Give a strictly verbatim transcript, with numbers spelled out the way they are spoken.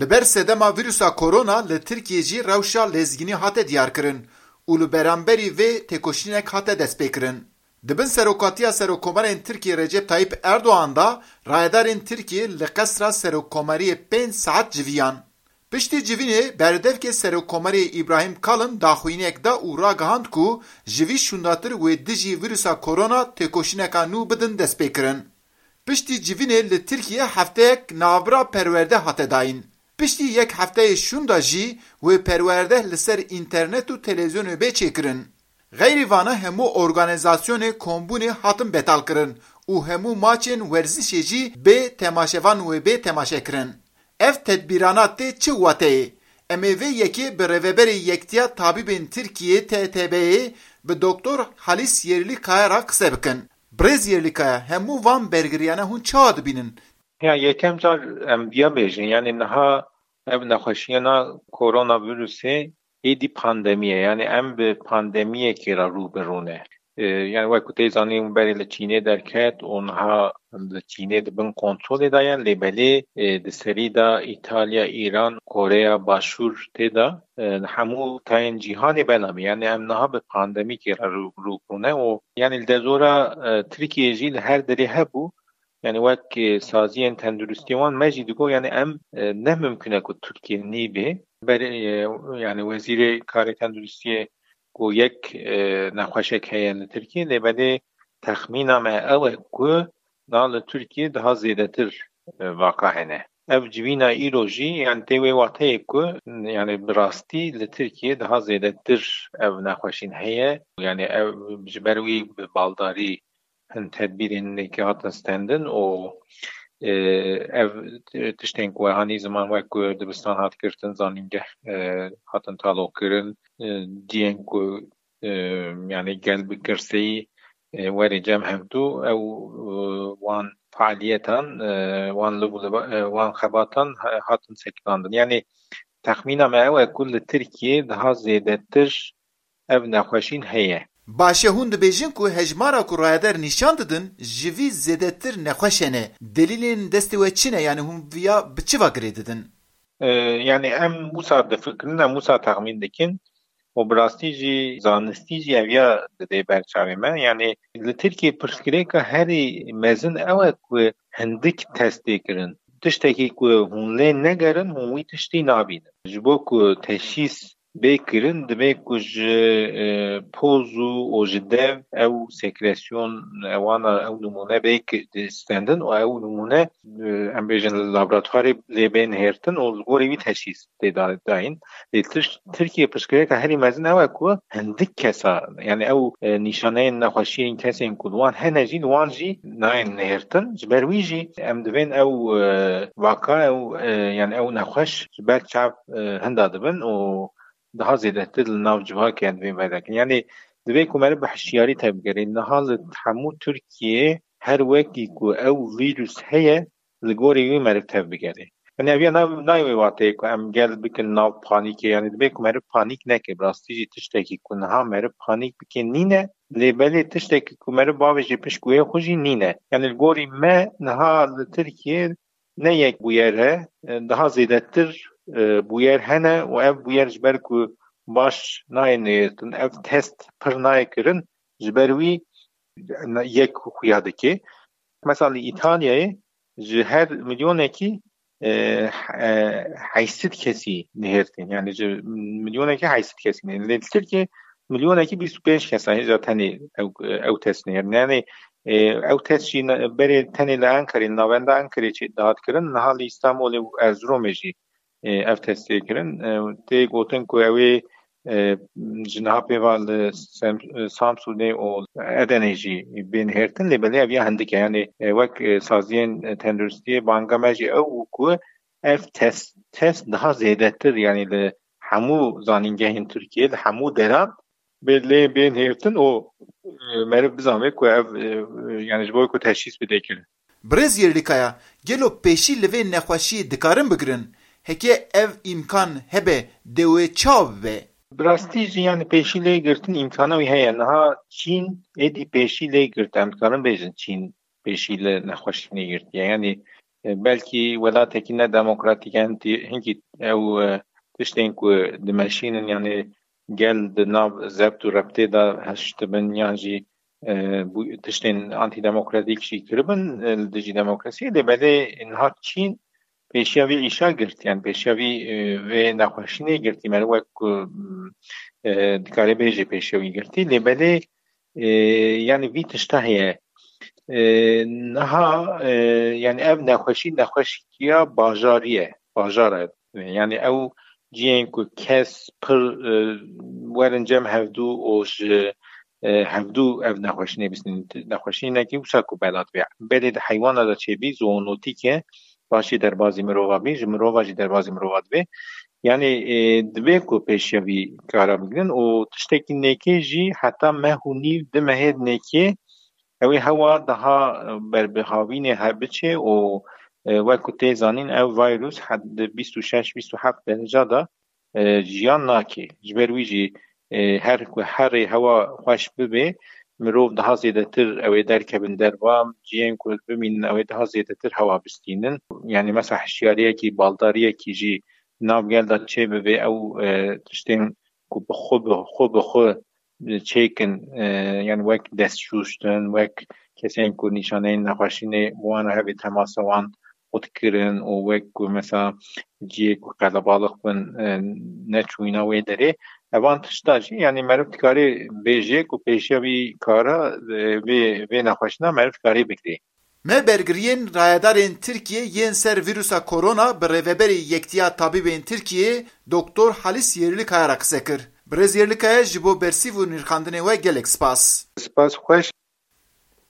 Li ber sedema vîrusa korona li Tirkiyê jî rewşa lezgînî hate diyarkirin û li beramberî vê têkoşînek hate destpêkirin. Di bin serokatiya Serokkomarên Tirkiyê Recep Tayyip Erdogan de rayedarên Tirkiyê li Qesra Serokkomariyê pênc saet civiyan. Piştî civînê berdevkê Serokkomariyê Îbrahîm Kalin daxuyaniyek da û ragihand ku ji vî şûndatir wê dijî vîrusa korona têkoşîneka nû bidin destpêkirin. Piştî civînê li Tirkiyê hefteyek navbira perwerde hate dayîn. Piştî yek hefteyê şûnda jî wê perwerde li ser înternet û televîzyonê bê çêkirin. Xeyrî vana hemû organîzasyonê kombûnê hatin betalkirin û hemû maçên werzişê jî bê temaşevan wê bê temaşekirin. Ev tedbîrana tê çi wateyê? Em ê vê yekê bi rêveberê Yektiya Tabîbên Tirkiyê T T B'yê bi Doktor Halîs Yerlikaya re qise bikin. Birêz Yerlikaya, hemû van bergiriyane hûn çawa dibînin? Ya yekem car em viya bêjin, yani niha ev nexweşiyena koronavirusê êdî pandemî ye. Yani em bi pandemiyekê re rû bi rû ne. E, yani wek ku tê zanîn berê li Çînê derket û niha li Çînê di bin kontrolê de ye, lê belê, e, di serî de Îtalya, Îran, Koreya Başûr tê de, e, hemû tayên cîhanê belavî. Yani em niha bi pandemîkê re rû, rû bi rû ne û yani li dezora, e, Tirkiyê jî li her derê hebû. Yani wek, e, saziyên tenduristiyê wan me jî digot, yani em, e, ne mimkun e ku Tirkiye nîbê. Berê, e, yani wezîrê karê tenduristiyê ku yek, e, nexweşek heye li Tirkiye, lê belê texmîna me ew e ku na li Tirkiye daha zêdetir, e, vaka hene. Ev civîna îro jî, yani tê wê wateyê ku, yani bi rastî li Tirkiye daha zêdetir ev nexweşîn heye. Yani ev ji ber wî bi baldarî hin tedbîrên nêkê hatin stendin û, e, ev tiştên ku hanî ziman wek ku dibistan hat girtin, zanîngeh, e, hatin taloqkirin, e, cihên ku, e, yani gel bi girseyî, e, werê cem hevdû, ew, e, wan fealiyetan, e, wan li, li, e, wan xebatan ha-, hatin sekinandin. Yani texmîna me ew e ku li Tirkiyê daha zêdetir ev nexweşîn heye. Baş e, hûn dibêjin ku hejmara ku rayeder nîşan didin, ji vî zêdetir nexweş hene. Delîlên destê we çi ne? Yani hûn viya bi çi va girê didin? E, yani em wisa difikirin, em wisa texmîn dikin û bi rastî jî zanistî jî ev ya didê ber çavê me. Yani li Tirkiyê pirsgirêka herî mezin ew e ku hindik test tê kirin. Tiştekî ku hûn lê negerin, hûn wî tiştî nabînin. Ji bo ku teşhîs bê kirin, divê ku ji, e, poz û, û ji dev ew sekresyon, ewana, ew nimûne bê ki-, stendin û ew nimûne, e, em bêjin li laboratuvarê lê bê nihêrtin û li gorî wî teşhîs tê da-, dayîn. Lê Tir-, Tirkiye piştgirêka herî mezin ew e ku hindik kesa, yani ew, e, nîşaneyên nexweşiyên kesên ku li wan hene jî, li wan jî nayên nihêrtin. Ji ber wî jî em divên ew, e, vaka, ew, e, yani ew nexweş ji ber çav, e, hinda dibin û daha zêdetir li nav civakê em divên vedekin. Yani divê ku meriv bi hişyarî tevbigerê. Niha li hemû Tirkiyê her wekî ku ew vîrus heye, li gorî wî meriv tevbigerê. Yani ev ya nav, nayê wê wateyê ku em gel bikin nav panîkê. Yani divê ku meriv panîk neke. Bi rastî jî tiştekî ku niha meriv panîk bike nîne. Lê belê tiştekî ku meriv bavêje pişt guhê xwe jî nîne. Yani li gorî me niha li Tirkiyê ne yek bûyer e, e, daha zêdetir, e, bûyer hene û ev bûyer ji ber ku baş nayên nihêrtin, ev test pir nayê kirin, ji ber wî yek xuya dike. Mesela li Îtalyayê ji her milyonekî, e, e, heyşt sed kesî nihêrtin. Yani ji milyonekî heyşt sed kesî nihêrtin. Lê li Tirkiyê milyonekî bîst û pênc kesa hêja tenê ew, ew test nihêrtin. Yani, e, ew test jî ne-, berê tenê li Enqerê, li navenda Enqerê çê dihat kirin, niha li Îstanbulê û Erzurumê jî, e, ev test tê kirin. E, tê gotin ku ew ê, e, ji niha pê ve li Sem-, e, Samsûnê û Edenê jî bên hêrtin, lê belê ev ya hindik e. Yani, e, wek, e, saziyên, e, tenduristiyê banga me jî ew bû ku ev test, test daha zêdetir, yani li hemû zanîngehên Tirkiyê, li hemû deran bê lê bên hêrtin û, e, meriv bizanbe ku ev, e, yani ji bo ku teşhîs bide kirin. Birêz Yerlikaya, gelo pêşî li vê nexweşiyê dikarin bigirin? Heke ev îmkan hebe, dê wê çawa bibe? Bi rastî jî, yani pêşî lê girtin îmkana wî heye. Niha Çîn êdî pêşî lê girt. Em dikarin bêjin Çîn pêşî li nexweşînê girtiye. Yani E, belkî welatekî ne demokratîk e, hinkî, hinkî ew, e, tiştên ku dimeşînin, yanî gel di nav zebt û rebtê de hiştibin yan jî, e, bû tiştên antîdemokratîk jî kiribin, e, li dijî demokrasiyê. Lê belê niha Çîn pêşiya vî îşa girtî, yan pêşiya vî, e, vê nexweşînê girtî, meriv wek ku, e, dikarê bêjê pêşiya wî girtî. Lê belê, e, yanî vî tişta heye. E, niha, e, yanî ev nexweşî, nexweşikiya bajarî ye, bajara. Yanî ew cihên ku kes pir, e, werin cem hevdû û ji, e, hevdû ev nexweşînê bistînin. Nexweşînekî wisa ku bela dibe. Belê di heywana de çêbî, zoonotîk e, paşê derbazî mirova bî, ji mirova jî derbazî mirova dibe. Yanî, e, dibe ku pêşiya vî kara bigrin û tiştekî nêkê jî heta meh û nîv, du mehê nêkê ew ê hewa daha, e, berbihavînê he biçe û, e, wek ku tê zanîn ev vîrus he-, di bîst û şeş bîst û heft dereca de, e, jiyan nake. Ji ber wî jî, e, her ku herê hewa xweş bibe, mirov daha zêdetir ew ê derkevin derva, cihên ku bimînin ew ê daha zêdetir hewa bistînin. Yanî mesela hişyariyekî, baldariyekî jî nav gel de çê bibe, ew, e, tiştên ku bi xwe, bi xwe, bi xwe çêkin, e, yanî wek dest şûştin, wek kesên ku nîşaneyên nexweşînê bi wan re hebe temasa wan qut kirin û wek ku mesela cihê ku qelebalix bin, e, neçûyîna wê derê. Evan tişta jî, yanî meriv dikarê bêje ku pêşiya vî kara, e, vê, vê nexweşîna meriv dikarê bigirê. Me bergiriyên rayedarên Tirkiyê yên ser vîrusa korona bi rêveberê Yektiya Tabîbên Tirkiyê Doktor Halis Yerlikaya re qise kir. Birêz Yerlikaya, ji bo bersîv û nirxandinê we gelek spas. Spas xweş.